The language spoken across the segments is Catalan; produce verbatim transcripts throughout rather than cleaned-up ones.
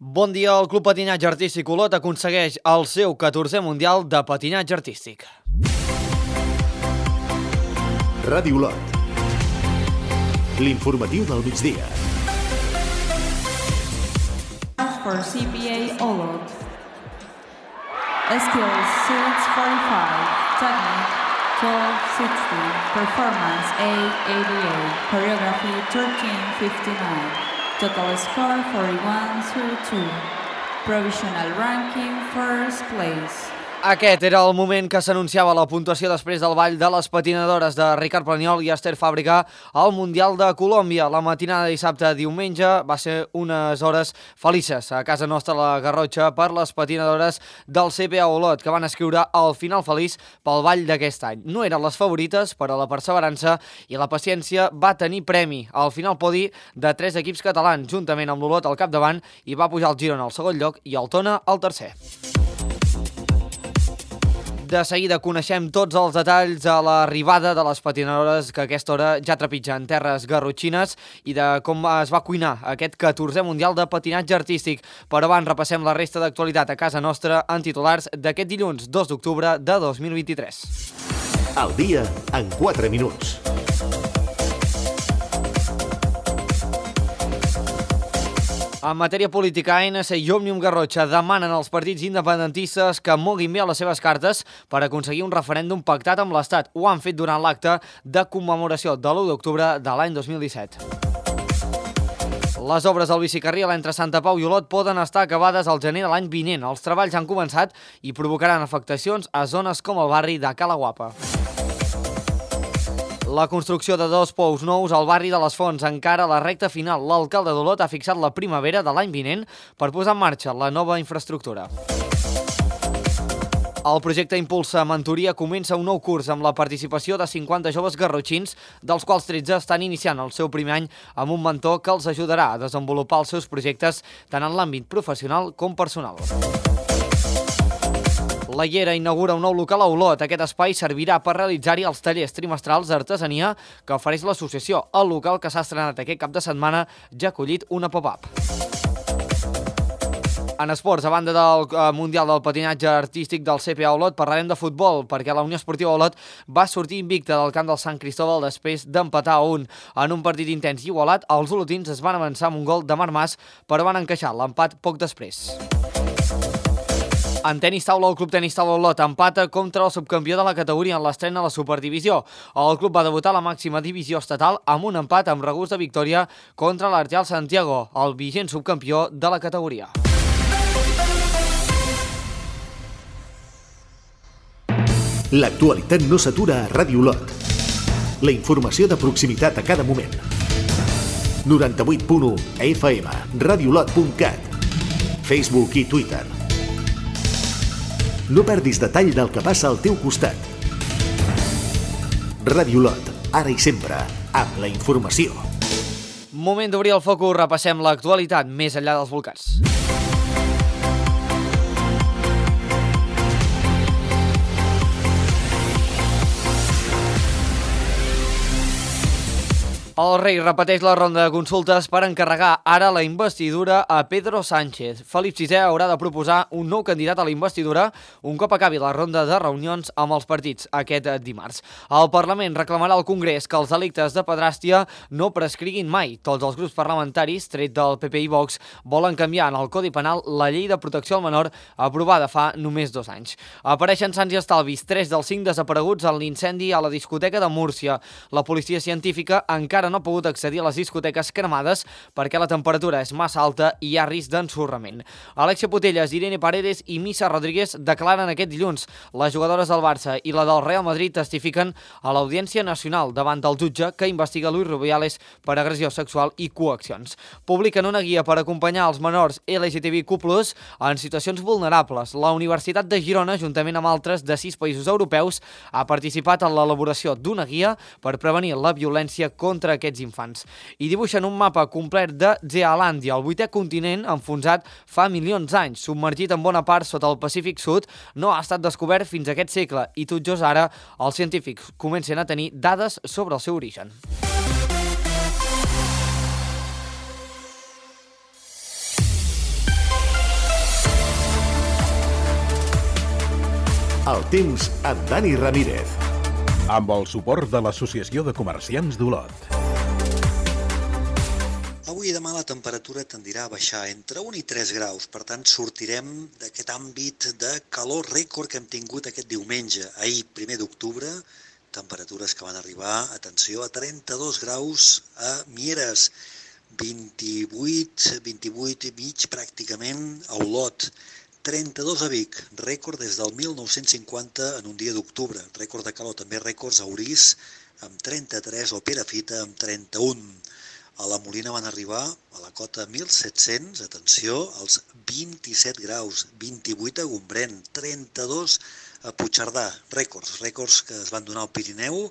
Bon dia, el Club Patinatge Artístic Olot aconsegueix el seu catorzè Mundial de Patinatge Artístic. Ràdio Olot. L'informatiu del migdia. For C P A Olot. Skills six forty-five. Technique twelve sixty. Performance eight eighty-eight. Choreography thirteen fifty-nine. Total score forty-one thirty-two. Provisional ranking first place. Aquest era el moment que s'anunciava la puntuació després del ball de les patinadores de Ricard Planiol i Esther Fàbrica al Mundial de Colòmbia. La matinada de dissabte a diumenge va ser unes hores felices a casa nostra a la Garrotxa per les patinadores del C P A Olot, que van escriure el final feliç pel ball d'aquest any. No eren les favorites, però la perseverança i la paciència va tenir premi. Al final podi de tres equips catalans, juntament amb l'Olot al capdavant, i va pujar el Girona al segon lloc i el Tona al tercer. De seguida coneixem tots els detalls a l'arribada de les patinadores que a aquesta hora ja trepitgen terres garrotxines i de com es va cuinar aquest catorzè Mundial de Patinatge Artístic. Però abans repassem la resta d'actualitat a casa nostra en titulars d'aquest dilluns dos d'octubre de dos mil vint-i-tres. Al dia en quatre minuts. En matèria política, A N C i Òmnium Garrotxa demanen als partits independentistes que moguin bé les seves cartes per aconseguir un referèndum pactat amb l'Estat. Ho han fet durant l'acte de commemoració de l'u d'octubre de l'any dos mil disset. Les obres del bicicarril entre Santa Pau i Olot poden estar acabades al gener de l'any vinent. Els treballs han començat i provocaran afectacions a zones com el barri de Cala Guapa. La construcció de dos pous nous al barri de les Fonts encara a la recta final. L'alcalde d'Olot ha fixat la primavera de l'any vinent per posar en marxa la nova infraestructura. El projecte Impulsa Mentoria comença un nou curs amb la participació de cinquanta joves garrotxins, dels quals tretze estan iniciant el seu primer any amb un mentor que els ajudarà a desenvolupar els seus projectes tant en l'àmbit professional com personal. La Llera inaugura un nou local a Olot. Aquest espai servirà per realitzar-hi els tallers trimestrals d'artesania que ofereix l'associació. El local, que s'ha estrenat aquest cap de setmana, ja ha acollit una pop-up. En esports, a banda del Mundial del Patinatge Artístic del C P A Olot, parlarem de futbol, perquè la Unió Esportiva Olot va sortir invicta del camp del Sant Cristóbal després d'empatar a un. En un partit intens i igualat, els olotins es van avançar amb un gol de Marc Mas, però van encaixar l'empat poc després. En tenis taula, el Club Tenis Taula Olot empata contra el subcampió de la categoria en l'estrena a la Superdivisió. El club va debutar a la màxima divisió estatal amb un empat amb regust de victòria contra l'Artial Santiago, el vigent subcampió de la categoria. L'actualitat no s'atura a Ràdio Olot. La informació de proximitat a cada moment. noranta-vuit punt u F M, radiolot punt cat, Facebook i Twitter. No perdis detall del que passa al teu costat. Ràdio Olot, ara i sempre, amb la informació. Moment d'obrir el focus, repassem l'actualitat més enllà dels volcans. El rei repeteix la ronda de consultes per encarregar ara la investidura a Pedro Sánchez. Felip sisè haurà de proposar un nou candidat a la investidura un cop acabi la ronda de reunions amb els partits aquest dimarts. El Parlament reclamarà al Congrés que els delictes de pedràstia no prescriguin mai. Tots els grups parlamentaris, tret del P P i Vox, volen canviar en el Codi Penal la llei de protecció al menor aprovada fa només dos anys. Apareixen sants i estalvis, tres dels cinc desapareguts en l'incendi a la discoteca de Múrcia. La policia científica encara no ha pogut accedir a les discoteques cremades perquè la temperatura és massa alta i hi ha risc d'ensorrament. Alexia Putellas, Irene Paredes i Missa Rodríguez declaren aquest dilluns. Les jugadores del Barça i la del Real Madrid testifiquen a l'Audiència Nacional davant del jutge que investiga Luis Rubiales per agressió sexual i coaccions. Publiquen una guia per acompanyar els menors L G T B Q plus, en situacions vulnerables. La Universitat de Girona, juntament amb altres de sis països europeus, ha participat en l'elaboració d'una guia per prevenir la violència contra aquests infants. I dibuixen un mapa complet de Zealàndia, el vuitè continent enfonsat fa milions d'anys, submergit en bona part sota el Pacífic Sud, no ha estat descobert fins a aquest segle i tot just ara els científics comencen a tenir dades sobre el seu origen. El temps amb Dani Ramírez. Amb el suport de l'Associació de Comerciants d'Olot. Avui i demà la temperatura tendirà a baixar entre un i tres graus, per tant sortirem d'aquest àmbit de calor rècord que hem tingut aquest diumenge, ahir, primer d'octubre, temperatures que van arribar, atenció, a trenta-dos graus a Mieres, vint-i-vuit, vint-i-vuit i mig pràcticament a Olot, trenta-dos a Vic, rècord des del mil nou-cents cinquanta en un dia d'octubre, rècord de calor, també rècords a Orís amb trenta-tres o Perafita amb trenta-un. A la Molina van arribar a la cota mil set-cents, atenció, als vint-i-set graus, vint-i-vuit a Gombrèn, trenta-dos a Puigcerdà, rècords, rècords que es van donar al Pirineu,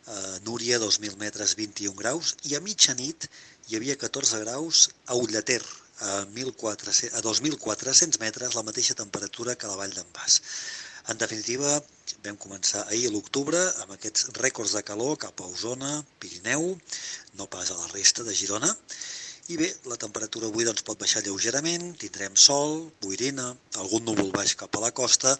a Núria, dos mil metres, vint-i-un graus, i a mitjanit hi havia catorze graus a Ullater, a, a dos mil quatre-cents metres, la mateixa temperatura que a la Vall d'en Bas. En definitiva, vam començar ahir a l'octubre amb aquests rècords de calor cap a Osona, Pirineu, no pas a la resta de Girona. I bé, la temperatura avui doncs, pot baixar lleugerament, tindrem sol, boirina, algun núvol baix cap a la costa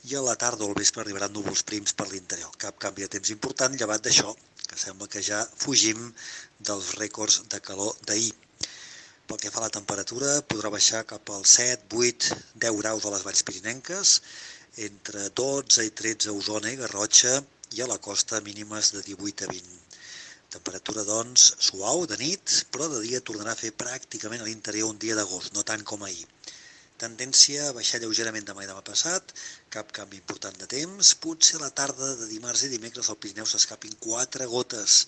i a la tarda o al vespre arribaran núvols prims per l'interior. Cap canvi de temps important, llevat d'això, que sembla que ja fugim dels rècords de calor d'ahir. Pel que fa a la temperatura, podrà baixar cap als set, vuit, deu graus a les valls pirinenques, entre dotze i tretze a Osona i Garrotxa i a la costa mínimes de divuit a vint. Temperatura, doncs, suau de nit, però de dia tornarà a fer pràcticament a l'interior un dia d'agost, no tant com ahir. Tendència a baixar lleugerament demà i demà passat, cap canvi important de temps, potser a la tarda de dimarts i dimecres al Pirineu s'escapin quatre gotes.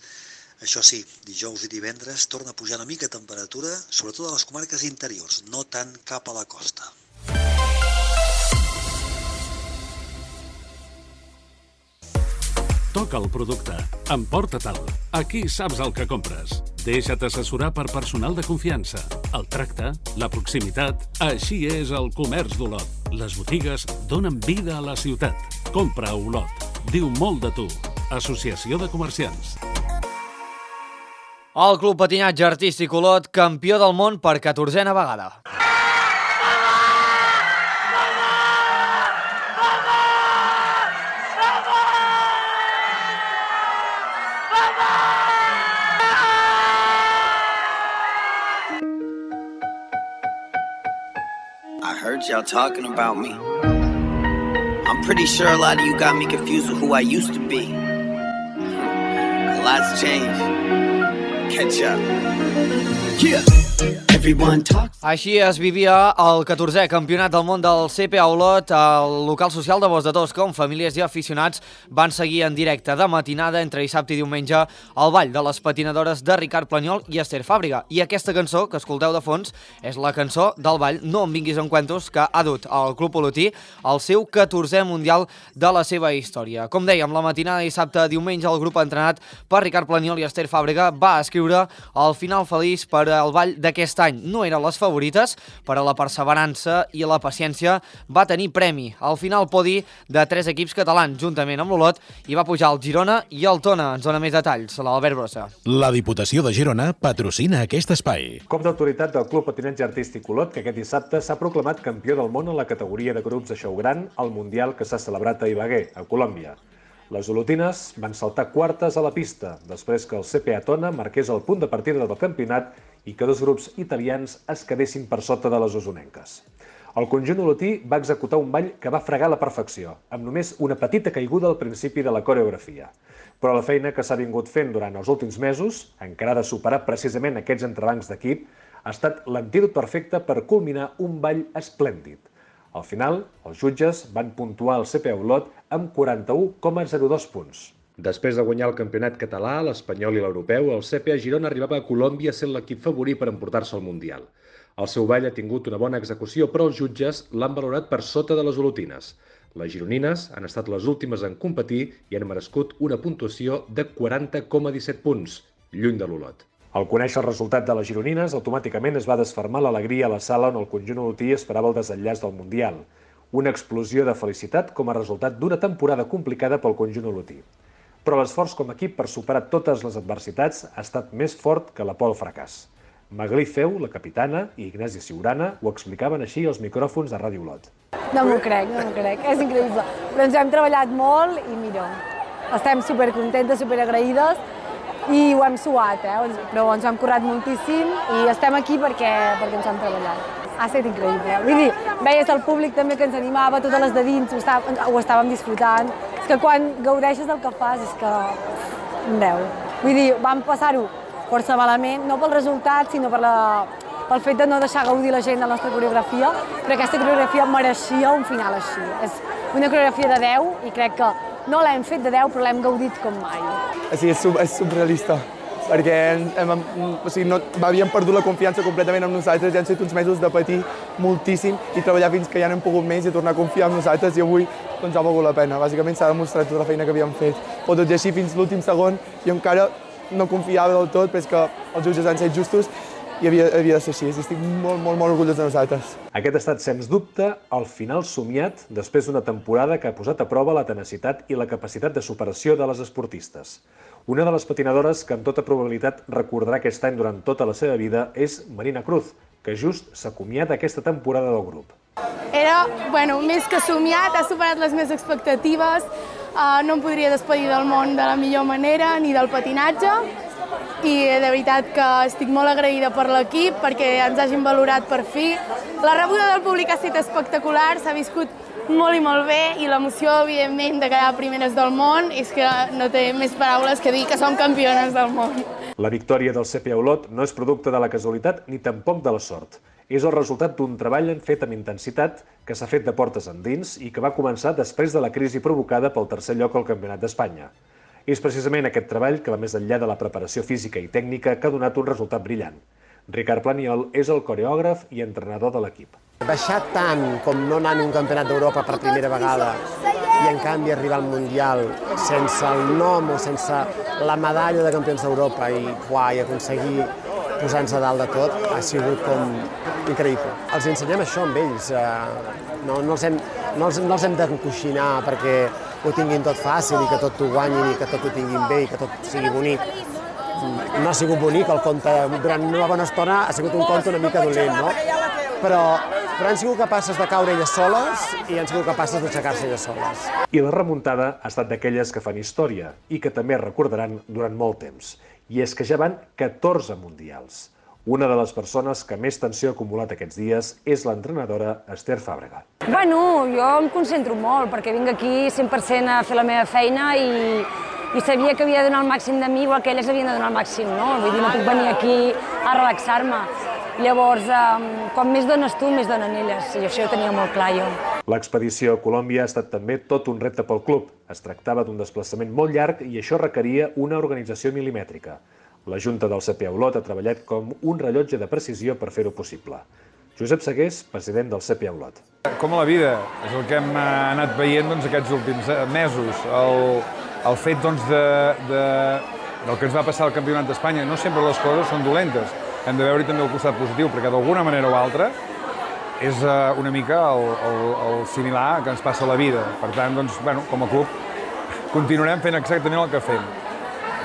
Això sí, dijous i divendres torna a pujar una mica temperatura, sobretot a les comarques interiors, no tant cap a la costa. Toca el producte, emporta-te'l. Aquí saps el que compres. Deixa't assessorar per personal de confiança. El tracte, la proximitat, així és el comerç d'Olot. Les botigues donen vida a la ciutat. Compra a Olot. Diu molt de tu. Associació de Comerciants. El Club Patinatge Artístic Olot, campió del món per catorzena vegada. I heard y'all talking about me. I'm pretty sure a lot of you got me confused with who I used to be. A lot's changed. Catch up. Yeah. Everyone talks. Així es vivia el catorzè Campionat del món del C P A Olot al local social de Bos de Tosca, on famílies i aficionats van seguir en directe de matinada entre dissabte i diumenge al ball de les patinadores de Ricard Planyol i Esther Fàbrega. I aquesta cançó que escolteu de fons és la cançó del ball No em vinguis amb cuentos, que ha dut al Club Olotí al seu catorzè mundial de la seva història. Com dèiem, la matinada de dissabte a diumenge el grup entrenat per Ricard Planyol i Esther Fàbrega va escriure el final feliç per al ball d'aquest any. No eren les favorites, però la perseverança i la paciència va tenir premi. Al final podi de tres equips catalans, juntament amb l'Olot, i va pujar el Girona i el Tona. Ens dona més detalls, l'Albert Brossa. La Diputació de Girona patrocina aquest espai. Cop d'autoritat del Club Patinatge Artístic Olot, que aquest dissabte s'ha proclamat campió del món en la categoria de grups de xou gran al Mundial que s'ha celebrat a Ibagué, a Colòmbia. Les olotines van saltar quartes a la pista, després que el C P A Tona marqués el punt de partida del campionat i que dos grups italians es quedessin per sota de les osonenques. El conjunt olotí va executar un ball que va fregar a la perfecció, amb només una petita caiguda al principi de la coreografia. Però la feina que s'ha vingut fent durant els últims mesos, encara de superar precisament aquests entrebancs d'equip, ha estat l'antídot perfecte per culminar un ball esplèndid. Al final, els jutges van puntuar el C P A Olot amb quaranta-u coma zero dos punts. Després de guanyar el campionat català, l'espanyol i l'europeu, el C P A Girona arribava a Colòmbia sent l'equip favorit per emportar-se al Mundial. El seu ball ha tingut una bona execució, però els jutges l'han valorat per sota de les olotines. Les gironines han estat les últimes en competir i han merescut una puntuació de quaranta coma disset punts, lluny de l'Olot. Al conèixer el resultat de les gironines, automàticament es va desfermar l'alegria a la sala on el conjunt olotí esperava el desenllaç del Mundial. Una explosió de felicitat com a resultat d'una temporada complicada pel conjunt olotí. Però l'esforç com a equip per superar totes les adversitats ha estat més fort que la por al fracàs. Maglí Feu, la capitana, i Ignasi Siurana ho explicaven així als micròfons de Ràdio Olot. No m'ho crec, no m'ho crec, és increïble. Però ens hem treballat molt i mira, estem supercontentes, superagraïdes i ho hem suat, eh? Però ens hem currat moltíssim i estem aquí perquè, perquè ens hem treballat. Ha estat increïble. Vull dir, veies el públic també que ens animava, totes les de dins, ho, estàvem, ho estàvem disfrutant. És que quan gaudeixes del que fas és que... Andeu. Vull dir, vam passar-ho força malament, no pel resultat, sinó per la... pel fet de no deixar gaudir la gent de la nostra coreografia, però aquesta coreografia mereixia un final així. És una coreografia de deu i crec que no l'hem fet de deu, però l'hem gaudit com mai. Sí, és, sub, és surrealista, perquè hem, hem, o sigui, no, havíem perdut la confiança completament en nosaltres, ja han sigut uns mesos de patir moltíssim i treballar fins que ja n'hem pogut més i tornar a confiar en nosaltres i avui doncs, ha valgut la pena. Bàsicament s'ha demostrat tota la feina que havíem fet. Però tot i així, fins l'últim segon, jo encara no confiava del tot, però és que els jutges han set justos i havia, havia de ser així. Estic molt, molt, molt orgullós de nosaltres. Aquest ha estat, sens dubte, el final somiat després d'una temporada que ha posat a prova la tenacitat i la capacitat de superació de les esportistes. Una de les patinadores que amb tota probabilitat recordarà aquest any durant tota la seva vida és Marina Cruz, que just s'acomiada aquesta temporada del grup. Era, bueno, més que somiat, ha superat les meves expectatives, uh, no em podria despedir del món de la millor manera, ni del patinatge, i de veritat que estic molt agraïda per l'equip perquè ens hagin valorat per fi. La rebuda del públic ha estat espectacular, s'ha viscut molt i molt bé i l'emoció, evidentment, de quedar primeres del món és que no té més paraules que dir que som campiones del món. La victòria del C P A Olot no és producte de la casualitat ni tampoc de la sort. És el resultat d'un treball fet amb intensitat que s'ha fet de portes endins i que va començar després de la crisi provocada pel tercer lloc al Campionat d'Espanya. És precisament aquest treball que va més enllà de la preparació física i tècnica que ha donat un resultat brillant. Ricard Planiol és el coreògraf i entrenador de l'equip. Baixar tant com no anar a un campionat d'Europa per primera vegada i en canvi arribar al Mundial sense el nom o sense la medalla de campions d'Europa i, uah, i aconseguir posar-nos a dalt de tot ha sigut com increïble. Els ensenyem això amb ells, no, no, els hem, no, els, no els hem d'encoixinar perquè ho tinguin tot fàcil i que tot ho guanyin i que tot ho tinguin bé i que tot sigui bonic. No ha sigut bonic el conte, durant una bona estona ha sigut un conte una mica dolent, no? Però, però han sigut capaces de caure elles soles i han sigut capaces d'aixecar-se elles soles. I la remuntada ha estat d'aquelles que fan història i que també recordaran durant molt temps. I és que ja van catorze mundials. Una de les persones que més tensió ha acumulat aquests dies és l'entrenadora Esther Fàbrega. Bueno, jo em concentro molt perquè vinc aquí cent per cent a fer la meva feina i, i sabia que havia de donar el màxim de mi igual que elles havien de donar el màxim, no? Vull dir, no puc venir aquí a relaxar-me. Llavors, com més dones tu, més donen elles, i això ho tenia molt clar jo. L'expedició a Colòmbia ha estat també tot un repte pel club. Es tractava d'un desplaçament molt llarg i això requeria una organització milimètrica. La Junta del C P A Olot ha treballat com un rellotge de precisió per fer-ho possible. Josep Segués, president del C P A Olot. Com a la vida, és el que hem anat veient doncs, aquests últims mesos. El, el fet doncs, de, de, del que ens va passar al Campionat d'Espanya. No sempre les coses són dolentes. Hem de veure també el costat positiu, perquè d'alguna manera o altra és una mica el, el, el similar que ens passa a la vida. Per tant, doncs, bueno, com a club, continuarem fent exactament el que fem.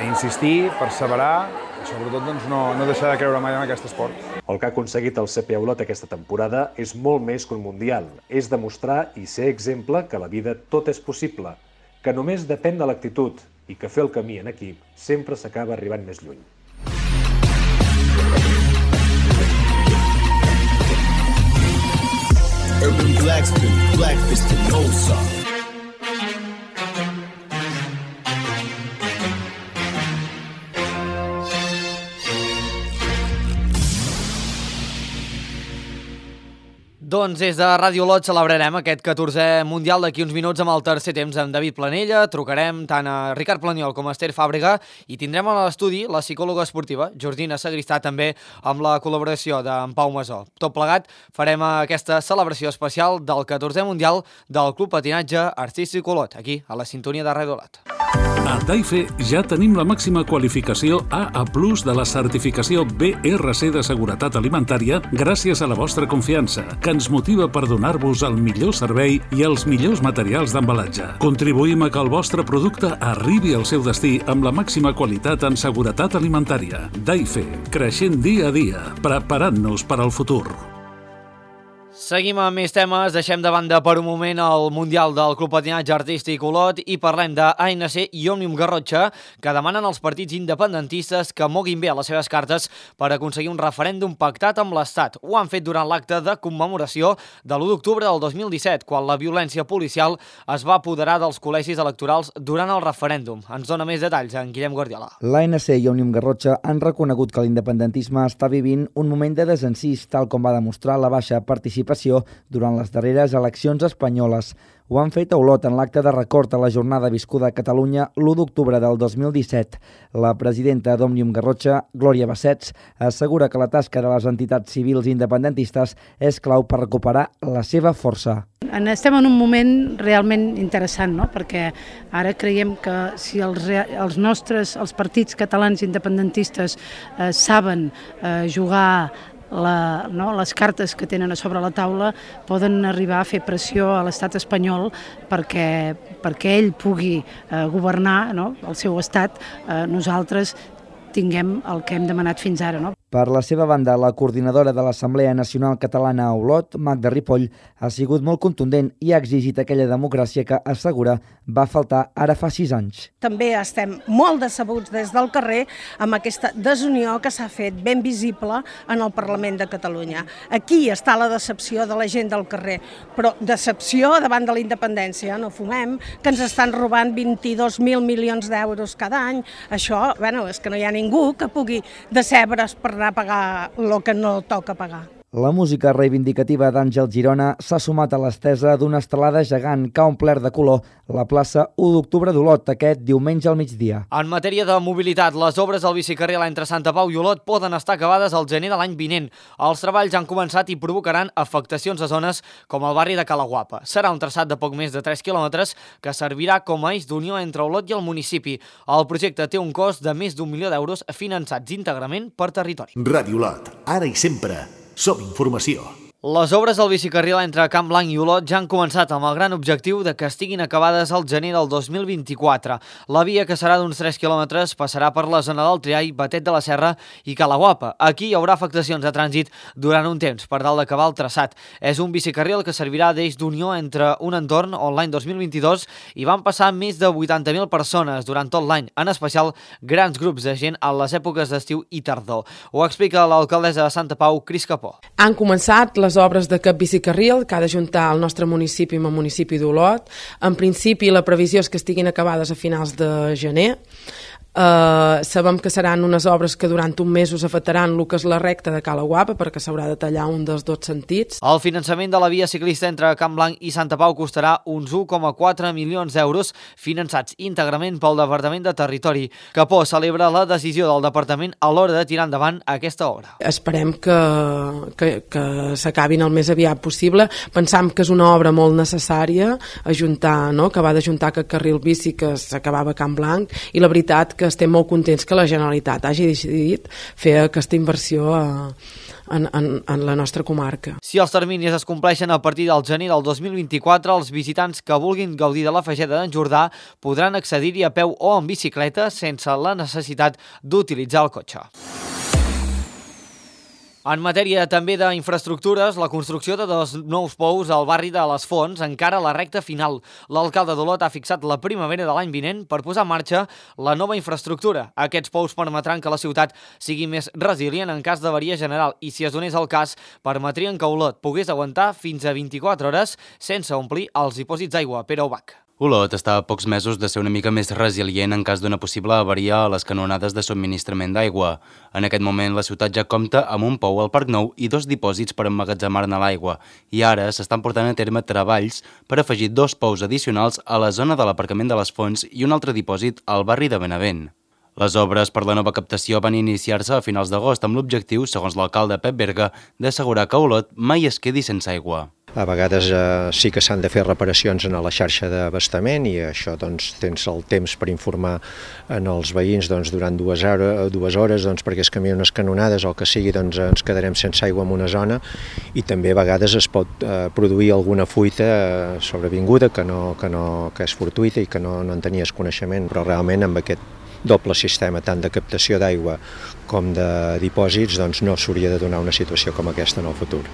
Insistir, perseverar, i sobretot doncs, no, no deixar de creure mai en aquest esport. El que ha aconseguit el C P A Olot aquesta temporada és molt més que un mundial. És demostrar i ser exemple que a la vida tot és possible, que només depèn de l'actitud i que fer el camí en equip sempre s'acaba arribant més lluny. Urban Blackspin, Blackfist and Nosa. Doncs des de Ràdio Olot celebrarem aquest catorzè Mundial d'aquí uns minuts amb el tercer temps amb David Planella. Trucarem tant a Ricard Planiol com a Esther Fàbrega i tindrem a l'estudi la psicòloga esportiva Jordina Sagristà, també amb la col·laboració d'en Pau Masó. Tot plegat farem aquesta celebració especial del catorzè Mundial del Club Patinatge Artístic Olot, aquí a la sintonia de Ràdio Olot. A Taife ja tenim la màxima qualificació A A plus de la certificació B R C de seguretat alimentària gràcies a la vostra confiança, que ens motiva per donar-vos el millor servei i els millors materials d'embalatge. Contribuïm a que el vostre producte arribi al seu destí amb la màxima qualitat en seguretat alimentària. Taife, creixent dia a dia, preparant-nos per al futur. Seguim amb més temes, deixem de banda per un moment el Mundial del Club Patinatge Artístic Olot i parlem d'A N C i Òmnium Garrotxa, que demanen als partits independentistes que moguin bé les seves cartes per aconseguir un referèndum pactat amb l'Estat. Ho han fet durant l'acte de commemoració de l'u d'octubre del dos mil disset, quan la violència policial es va apoderar dels col·legis electorals durant el referèndum. Ens dona més detalls en Guillem Guardiola. L'A N C i Òmnium Garrotxa han reconegut que l'independentisme està vivint un moment de desencís, tal com va demostrar la baixa participació durant les darreres eleccions espanyoles. Ho han fet a Olot en l'acte de record a la jornada viscuda a Catalunya l'u d'octubre del dos mil disset. La presidenta d'Òmnium Garrotxa, Glòria Bassets, assegura que la tasca de les entitats civils independentistes és clau per recuperar la seva força. Estem en un moment realment interessant, no? Perquè ara creiem que si els, els nostres, els partits catalans independentistes eh, saben eh, jugar La, no, les cartes que tenen a sobre la taula, poden arribar a fer pressió a l'estat espanyol perquè, perquè ell pugui eh, governar, no, el seu estat, eh, nosaltres tinguem el que hem demanat fins ara. No? Per la seva banda, la coordinadora de l'Assemblea Nacional Catalana a Olot, Magda Ripoll, ha sigut molt contundent i ha exigit aquella democràcia que, assegura, va faltar ara fa sis anys. També estem molt decebuts des del carrer amb aquesta desunió que s'ha fet ben visible en el Parlament de Catalunya. Aquí està la decepció de la gent del carrer, però decepció davant de la independència, no fumem, que ens estan robant vint-i-dos mil milions d'euros cada any. Això, bueno, és que no hi ha ningú que pugui decebre's per anar a pagar el que no toca pagar. La música reivindicativa d'Àngel Girona s'ha sumat a l'estesa d'una estelada gegant que ha omplert de color la plaça u d'octubre d'Olot aquest diumenge al migdia. En matèria de mobilitat, les obres al bicicarril entre Santa Pau i Olot poden estar acabades al gener de l'any vinent. Els treballs han començat i provocaran afectacions a zones com el barri de Calaguapa. Serà un traçat de poc més de tres quilòmetres que servirà com a eix d'unió entre Olot i el municipi. El projecte té un cost de més d'un milió d'euros finançats íntegrament per territori. Ràdio Olot, ara i sempre. Som informació. Les obres del bicicarril entre Camp Blanc i Olot ja han començat amb el gran objectiu de que estiguin acabades al gener del dos mil vint-i-quatre. La via, que serà d'uns tres quilòmetres, passarà per la zona del Triall, Batet de la Serra i Calaguapa. Aquí hi haurà afectacions de trànsit durant un temps per tal d'acabar el traçat. És un bicicarril que servirà d'eix d'unió entre un entorn on l'any dos mil vint-i-dos hi van passar més de vuitanta mil persones durant tot l'any, en especial grans grups de gent a les èpoques d'estiu i tardor. Ho explica l'alcaldessa de Santa Pau, Cris Capó. Han començat les obres d'aquest bicicarril que ha d'ajuntar el nostre municipi amb el municipi d'Olot. En principi, la previsió és que estiguin acabades a finals de gener. Uh, sabem que seran unes obres que durant un mes us afectaran el que és la recta de Calaguapa, perquè s'haurà de tallar un dels dos sentits. El finançament de la via ciclista entre Camp Blanc i Santa Pau costarà uns u coma quatre milions d'euros, finançats íntegrament pel Departament de Territori. Capó celebra la decisió del departament a l'hora de tirar endavant aquesta obra. Esperem que, que, que s'acabin el més aviat possible. Pensam que és una obra molt necessària, ajuntar, no? Que va d'ajuntar aquest carril bici que s'acabava a Camp Blanc, i la veritat que estem molt contents que la Generalitat hagi decidit fer aquesta inversió a, en, en, en la nostra comarca. Si els terminis es compleixen a partir del gener del dos mil vint-i-quatre, els visitants que vulguin gaudir de la Fageda d'en Jordà podran accedir-hi a peu o en bicicleta sense la necessitat d'utilitzar el cotxe. En matèria també d'infraestructures, la construcció de dos nous pous al barri de les Fonts encara a la recta final. L'alcalde d'Olot ha fixat la primavera de l'any vinent per posar en marxa la nova infraestructura. Aquests pous permetran que la ciutat sigui més resilient en cas d'avaria general i, si es donés el cas, permetrien que Olot pogués aguantar fins a vint-i-quatre hores sense omplir els dipòsits d'aigua. Pere Ubach. Olot està a pocs mesos de ser una mica més resilient en cas d'una possible avaria a les canonades de subministrament d'aigua. En aquest moment, la ciutat ja compta amb un pou al Parc Nou i dos dipòsits per emmagatzemar-ne l'aigua, i ara s'estan portant a terme treballs per afegir dos pous addicionals a la zona de l'aparcament de les Fonts i un altre dipòsit al barri de Benavent. Les obres per la nova captació van iniciar-se a finals d'agost amb l'objectiu, segons l'alcalde Pep Berga, d'assegurar que Olot mai es quedi sense aigua. A vegades eh, sí que s'han de fer reparacions en la xarxa d'abastament i això doncs, tens el temps per informar en els veïns doncs, durant dues, hora, dues hores doncs, perquè es canvien unes canonades o el que sigui, doncs, ens quedarem sense aigua en una zona, i també a vegades es pot eh, produir alguna fuita eh, sobrevinguda que, no, que, no, que és fortuïta i que no, no en tenies coneixement, però realment amb aquest doble sistema tant de captació d'aigua com de dipòsits doncs, no s'hauria de donar una situació com aquesta en el futur.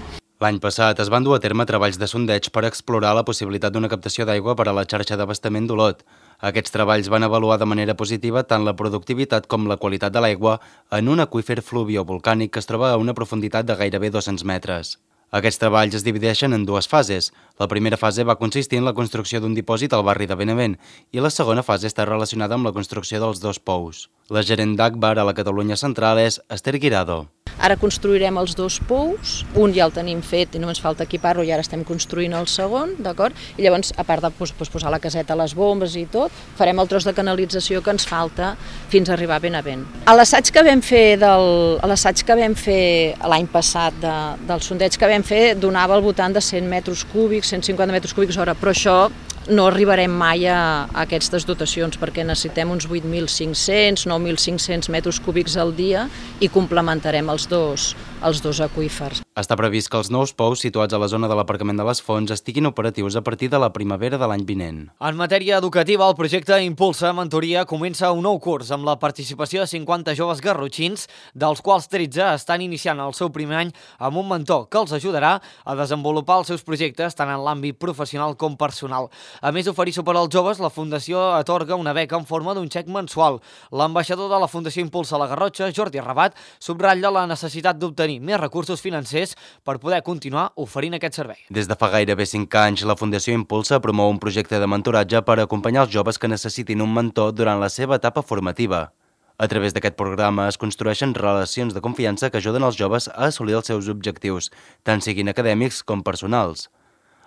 L'any passat es van dur a terme treballs de sondeig per explorar la possibilitat d'una captació d'aigua per a la xarxa d'abastament d'Olot. Aquests treballs van avaluar de manera positiva tant la productivitat com la qualitat de l'aigua en un aqüífer fluviovolcànic que es troba a una profunditat de gairebé dos-cents metres. Aquests treballs es divideixen en dues fases. La primera fase va consistir en la construcció d'un dipòsit al barri de Benevent i la segona fase està relacionada amb la construcció dels dos pous. La gerent d'Agbar a la Catalunya Central és Esther Guirado. Ara construirem els dos pous, un ja el tenim fet i només falta equipar-lo i ara estem construint el segon, d'acord? I llavors, a part de posar la caseta, les bombes i tot, farem el tros de canalització que ens falta fins a arribar a Benevent. A l'assaig que vam fer del, a l'assaig que vam fer l'any passat de, del sondeig que vam fer donava al voltant de cent metres cúbics, cent cinquanta metres cúbics hora, però això no arribarem mai a, a aquestes dotacions perquè necessitem uns vuit mil cinc-cents, nou mil cinc-cents metres cúbics al dia i complementarem els dos, els dos aqüífers. Està previst que els nous pous situats a la zona de l'aparcament de les Fonts estiguin operatius a partir de la primavera de l'any vinent. En matèria educativa, el projecte Impulsa Mentoria comença un nou curs amb la participació de cinquanta joves garrotxins, dels quals tretze estan iniciant el seu primer any amb un mentor que els ajudarà a desenvolupar els seus projectes tant en l'àmbit professional com personal. A més d'oferir suport als joves, la Fundació atorga una beca en forma d'un xec mensual. L'ambaixador de la Fundació Impulsa a la Garrotxa, Jordi Rabat, subratlla la necessitat d'obtenir més recursos financers per poder continuar oferint aquest servei. Des de fa gairebé cinc anys, la Fundació Impulsa promou un projecte de mentoratge per acompanyar els joves que necessitin un mentor durant la seva etapa formativa. A través d'aquest programa es construeixen relacions de confiança que ajuden els joves a assolir els seus objectius, tant siguin acadèmics com personals.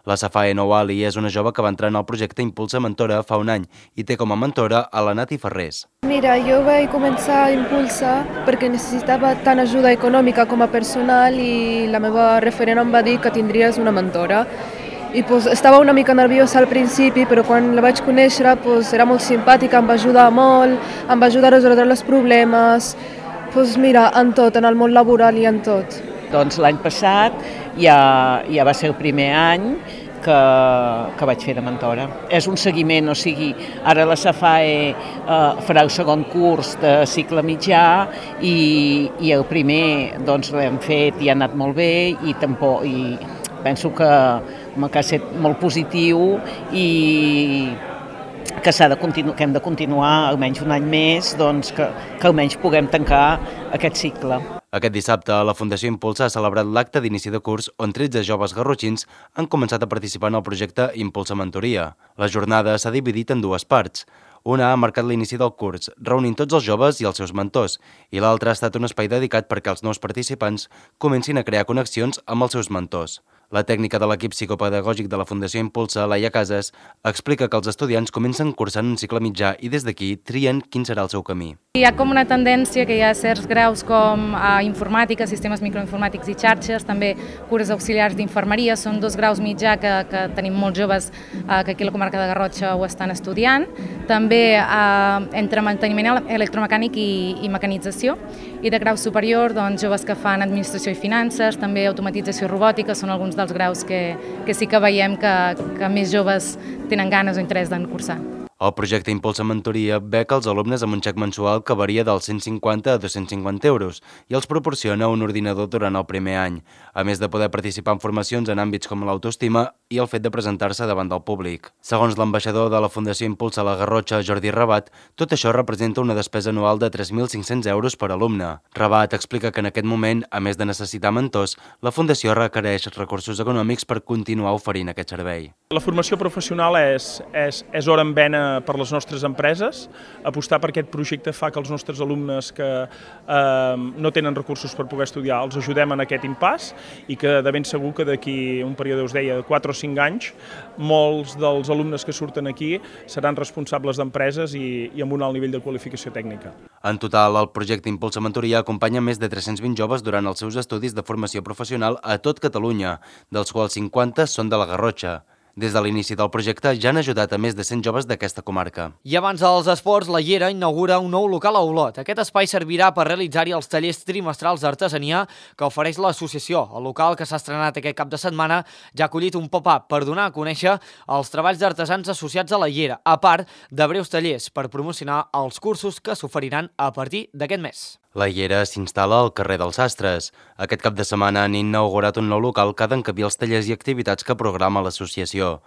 La Safae Nouali és una jove que va entrar en el projecte Impulsa Mentora fa un any i té com a mentora a la Nati Ferrés. Mira, jo vaig començar a Impulsa perquè necessitava tant ajuda econòmica com a personal i la meva referent em va dir que tindries una mentora. I pues, estava una mica nerviosa al principi, però quan la vaig conèixer pues, era molt simpàtica, em va ajudar molt, em va ajudar a resoldre els problemes, pues, mira, en tot, en el món laboral i en tot. Doncs l'any passat ja, ja va ser el primer any que, que vaig fer de mentora. És un seguiment, o sigui, ara la Safae eh, farà el segon curs de cicle mitjà i, i el primer doncs, l'hem fet i ha anat molt bé i, tampoc, i penso que, que ha estat molt positiu i que, de continu, que hem de continuar almenys un any més, doncs que, que almenys puguem tancar aquest cicle. Aquest dissabte, la Fundació Impulsa ha celebrat l'acte d'inici de curs on tretze joves garrotxins han començat a participar en el projecte Impulsa Mentoria. La jornada s'ha dividit en dues parts. Una ha marcat l'inici del curs, reunint tots els joves i els seus mentors, i l'altra ha estat un espai dedicat perquè els nous participants comencin a crear connexions amb els seus mentors. La tècnica de l'equip psicopedagògic de la Fundació Impulsa, Laia Casas, explica que els estudiants comencen cursant un cicle mitjà i des d'aquí trien quin serà el seu camí. Hi ha com una tendència que hi ha certs graus com a informàtica, sistemes microinformàtics i xarxes, també cures auxiliars d'infermeria, són dos graus mitjà que, que tenim molts joves eh, que aquí a la comarca de Garrotxa ho estan estudiant, també eh, entre manteniment electromecànic i, i mecanització, i de grau superior, doncs, joves que fan administració i finances, també automatització robòtica, són alguns dels graus que, que sí que veiem que, que més joves tenen ganes o interès d'en cursar. El projecte Impulsa Mentoria beca els alumnes amb un xec mensual que varia dels cent cinquanta a dos-cents cinquanta euros i els proporciona un ordinador durant el primer any, a més de poder participar en formacions en àmbits com l'autoestima i el fet de presentar-se davant del públic. Segons l'ambaixador de la Fundació Impulsa a la Garrotxa, Jordi Rabat, tot això representa una despesa anual de tres mil cinc-cents euros per alumne. Rabat explica que en aquest moment, a més de necessitar mentors, la Fundació requereix recursos econòmics per continuar oferint aquest servei. La formació professional és, és, és hora en vena per les nostres empreses. Apostar per aquest projecte fa que els nostres alumnes que eh, no tenen recursos per poder estudiar els ajudem en aquest impàs i que de ben segur que d'aquí un període, us deia, de quatre o cinc anys, molts dels alumnes que surten aquí seran responsables d'empreses i, i amb un alt nivell de qualificació tècnica. En total, el projecte Impulsa Mentoria acompanya més de tres-cents vint joves durant els seus estudis de formació professional a tot Catalunya, dels quals cinquanta són de la Garrotxa. Des de l'inici del projecte ja han ajudat a més de cent joves d'aquesta comarca. I abans dels esports, la Llera inaugura un nou local a Olot. Aquest espai servirà per realitzar-hi els tallers trimestrals d'artesania que ofereix l'associació. El local, que s'ha estrenat aquest cap de setmana, ja ha acollit un pop-up per donar a conèixer els treballs d'artesans associats a la Llera, a part de breus tallers per promocionar els cursos que s'oferiran a partir d'aquest mes. La Llera s'instal·la al carrer dels Sastres. Aquest cap de setmana han inaugurat un nou local que ha d'encabir els tallers i activitats que programa l'associació.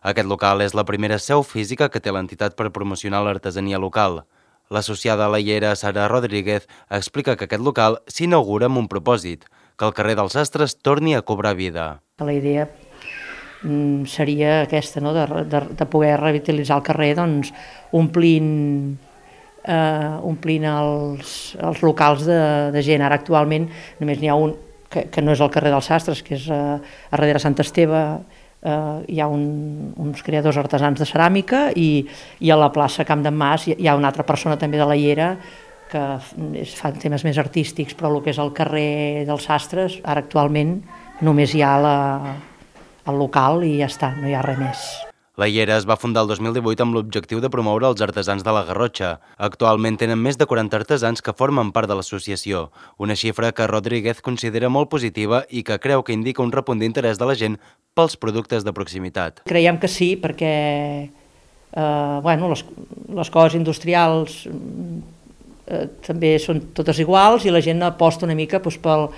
Aquest local és la primera seu física que té l'entitat per promocionar l'artesania local. L'associada a la Llera, Sara Rodríguez, explica que aquest local s'inaugura amb un propòsit, que el carrer dels Sastres torni a cobrar vida. La idea seria aquesta, no? de, de, de poder revitalitzar el carrer, doncs, omplint Uh, omplint els, els locals de, de gent. Ara actualment només n'hi ha un que, que no és el carrer dels Sastres, que és uh, a darrere Sant Esteve, uh, hi ha un, uns creadors artesans de ceràmica i, i a la plaça Camp d'en Mas hi, hi ha una altra persona també de la Llera que es, fan temes més artístics, però el que és el carrer dels Sastres, ara actualment només hi ha la, el local i ja està, no hi ha res més. La Llera es va fundar el dos mil divuit amb l'objectiu de promoure els artesans de la Garrotxa. Actualment tenen més de quaranta artesans que formen part de l'associació, una xifra que Rodríguez considera molt positiva i que creu que indica un repunt d'interès de la gent pels productes de proximitat. Creiem que sí, perquè eh, bueno, les, les coses industrials eh, també són totes iguals i la gent aposta una mica doncs, pel...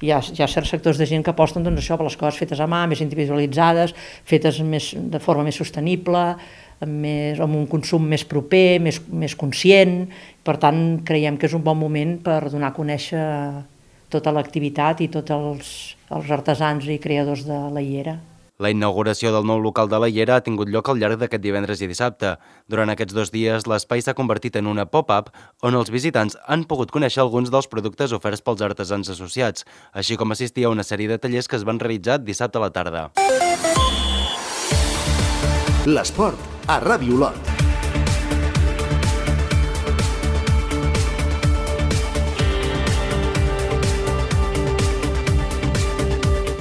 Hi ha, hi ha certs sectors de gent que aposten doncs, això per les coses fetes a mà, més individualitzades, fetes més, de forma més sostenible, amb, més, amb un consum més proper, més, més conscient. Per tant, creiem que és un bon moment per donar a conèixer tota l'activitat i tots els, els artesans i creadors de la Llera. La inauguració del nou local de la Llera ha tingut lloc al llarg d'aquest divendres i dissabte. Durant aquests dos dies, l'espai s'ha convertit en una pop-up on els visitants han pogut conèixer alguns dels productes oferts pels artesans associats, així com assistir a una sèrie de tallers que es van realitzar dissabte a la tarda. L'esport a Ràdio Olot.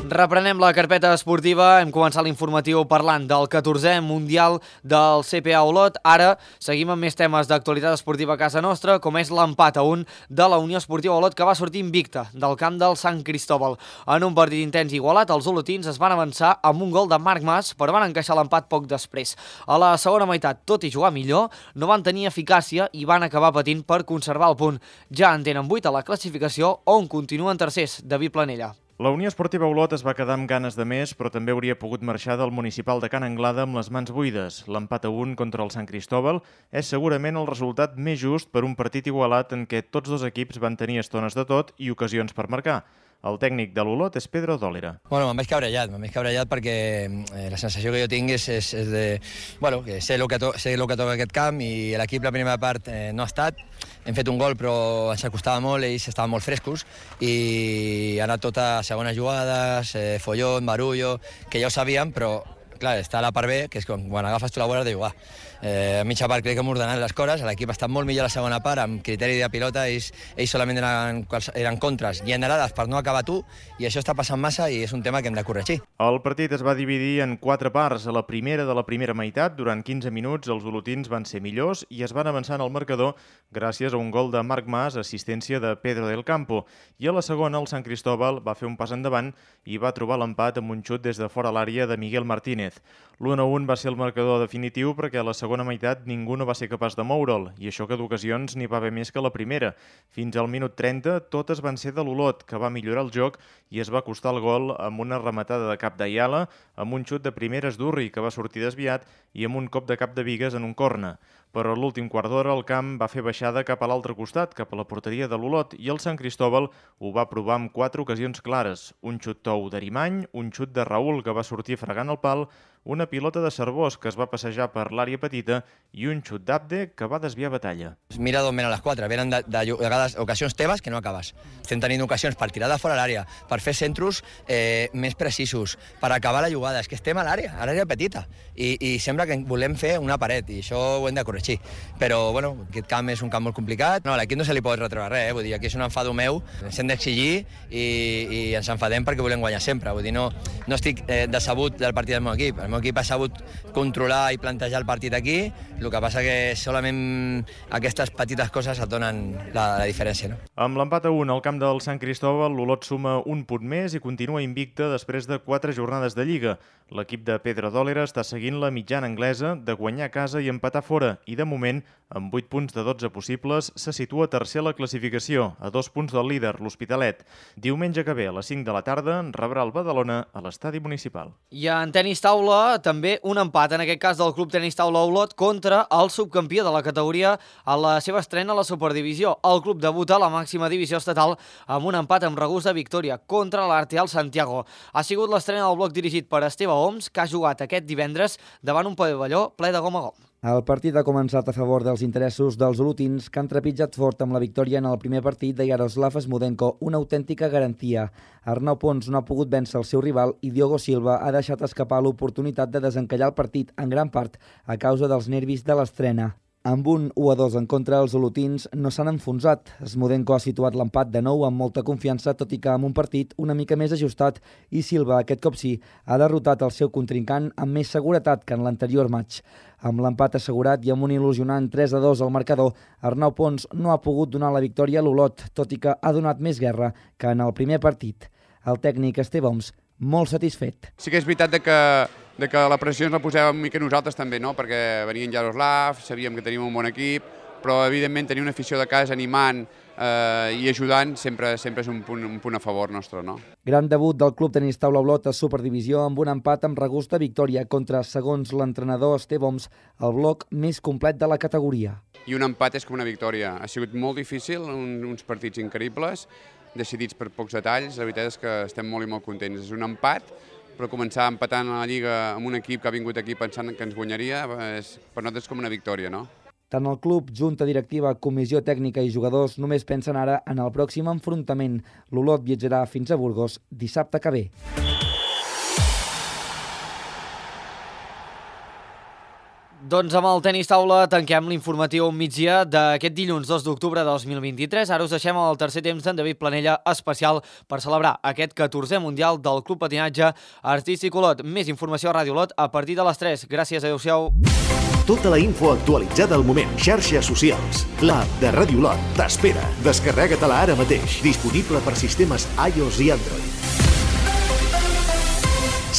Reprenem la carpeta esportiva, hem començat l'informatiu parlant del catorzè Mundial del C P A Olot. Ara seguim amb més temes d'actualitat esportiva a casa nostra, com és l'empat a un de la Unió Esportiva Olot, que va sortir invicta del camp del Sant Cristóbal. En un partit intens i igualat, els olotins es van avançar amb un gol de Marc Mas, però van encaixar l'empat poc després. A la segona meitat, tot i jugar millor, no van tenir eficàcia i van acabar patint per conservar el punt. Ja en tenen vuit a la classificació, on continuen tercers. David Planella. La Unió Esportiva Olot es va quedar amb ganes de més, però també hauria pogut marxar del municipal de Can Anglada amb les mans buides. L'empat a un contra el Sant Cristóbal és segurament el resultat més just per un partit igualat en què tots dos equips van tenir estones de tot i ocasions per marcar. El tècnic de l'Olot és Pedro Dòlera. Bueno, me'n vaig cabrellat, me'n vaig cabrellat perquè eh, la sensació que jo tinc és, és, és de... Bueno, que sé el que, to sé el que toca aquest camp i l'equip la primera part eh, no ha estat. Hem fet un gol però ens acostava molt, ells estaven molt frescos i ha anat tot a segones jugades, eh, follón, barullo, que ja ho sabíem, però clar, està la part B, que és quan, quan agafes tu la bola, dius, uah, Eh, a mitja part crec que hem ordenat les coses, l'equip ha estat molt millor a la segona part, amb criteri de pilota, ells, ells solament eren, eren contres generades per no acabar tu, i això està passant massa i és un tema que hem de corregir. El partit es va dividir en quatre parts. A la primera de la primera meitat, durant quinze minuts, els olotins van ser millors i es van avançar en el marcador gràcies a un gol de Marc Mas, assistència de Pedro del Campo. I a la segona, el Sant Cristóbal va fer un pas endavant i va trobar l'empat amb un xut des de fora l'àrea de Miguel Martínez. l'u a un va ser el marcador definitiu perquè a la segona meitat ningú no va ser capaç de moure'l, i això que d'ocasions n'hi va haver més que la primera. Fins al minut trenta, totes van ser de l'Olot, que va millorar el joc i es va acostar el gol amb una rematada de cap d'Ayala, amb un xut de primeres d'Urri, que va sortir desviat, i amb un cop de cap de Bigues en un corna. Però a l'últim quart d'hora el camp va fer baixada cap a l'altre costat, cap a la porteria de l'Olot, i el Sant Cristóbal ho va provar amb quatre ocasions clares. Un xut tou d'Arimany, un xut de Raül, que va sortir fregant el pal, una pilota de Cervós, que es va passejar per l'àrea petita, i un xut d'Abde, que va desviar batalla. Mira d'on venen les quatre, venen de, de, de vegades ocasions teves que no acabes. Estem tenint ocasions per tirar de fora l'àrea, per fer centros eh, més precisos, per acabar la jugada. És que estem a l'àrea, a l'àrea petita, i, i sembla que volem fer una paret, i això ho hem de corregir. Però, bueno, aquest camp és un camp molt complicat. No, a l'equip no se li pot retreure res, eh? Vull dir, aquí és un enfado meu, ens hem d'exigir i, i ens enfadem perquè volem guanyar sempre. Vull dir, no, no estic eh, decebut del partit del meu equip. El meu equip ha sabut controlar i plantejar el partit aquí, el que passa que solament aquestes petites coses et donen la, la diferència. No? Amb l'empat a un al camp del Sant Cristóbal, l'Olot suma un punt més i continua invicta després de quatre jornades de Lliga. L'equip de Pedro Dòlera està seguint la mitjana anglesa de guanyar a casa i empatar fora, i de moment, amb vuit punts de dotze possibles, se situa tercer a la classificació, a dos punts del líder, l'Hospitalet. Diumenge que ve, a les cinc de la tarda, rebrà el Badalona a l'estadi municipal. I en tenis taula, també un empat, en aquest cas del Club Tenis Taula Olot, contra el subcampió de la categoria a la seva estrena a la Superdivisió. El club debuta a la màxima divisió estatal amb un empat amb regust de victòria contra l'Arteal Santiago. Ha sigut l'estrena del bloc dirigit per Esteve Oms, que ha jugat aquest divendres davant un pavelló ple de gom a gom. El partit ha començat a favor dels interessos dels olotins, que han trepitjat fort amb la victòria en el primer partit de Yaroslav Smudenko, una autèntica garantia. Arnau Pons no ha pogut vèncer el seu rival i Diogo Silva ha deixat escapar l'oportunitat de desencallar el partit, en gran part a causa dels nervis de l'estrena. Amb un u a dos en contra, els olotins no s'han enfonsat. Smudenko ha situat l'empat de nou amb molta confiança, tot i que amb un partit una mica més ajustat, i Silva, aquest cop sí, ha derrotat el seu contrincant amb més seguretat que en l'anterior match. Amb l'empat assegurat i amb un il·lusionant tres a dos al marcador, Arnau Pons no ha pogut donar la victòria a l'Olot, tot i que ha donat més guerra que en el primer partit. El tècnic Esteve Oms, molt satisfet. Sí que és veritat de que, de que la pressió ens la posàvem una mica nosaltres també, no? Perquè venia en Yaroslav, sabíem que teníem un bon equip, però evidentment tenir una afició de casa animant eh, i ajudant sempre, sempre és un punt, un punt a favor nostre, no? Gran debut del Club Tenis Taula Olot a Superdivisió amb un empat amb regust de victòria contra, segons l'entrenador Esteve Oms, el bloc més complet de la categoria. I un empat és com una victòria. Ha sigut molt difícil, un, uns partits increïbles, decidits per pocs detalls. La veritat és que estem molt i molt contents. És un empat, però començar empatant a la Lliga amb un equip que ha vingut aquí pensant que ens guanyaria, és, per nosaltres és com una victòria, no? Tant el club, junta directiva, comissió tècnica i jugadors només pensen ara en el pròxim enfrontament. L'Olot viatjarà fins a Burgos dissabte que ve. Doncs amb el tenis taula tanquem l'informatiu migdia d'aquest dilluns dos d'octubre de dos mil vint-i-tres. Ara us deixem el tercer temps d'en David Planella especial per celebrar aquest catorzè Mundial del Club Patinatge Artístic Olot. Més informació a Ràdio Olot a partir de les tres. Gràcies, adeu-siau. Tota la info actualitzada al moment. Xarxes socials. L'app de Ràdio Olot t'espera. Descarrega-te-la ara mateix. Disponible per sistemes iOS i Android.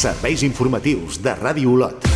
Serveis informatius de Ràdio Olot.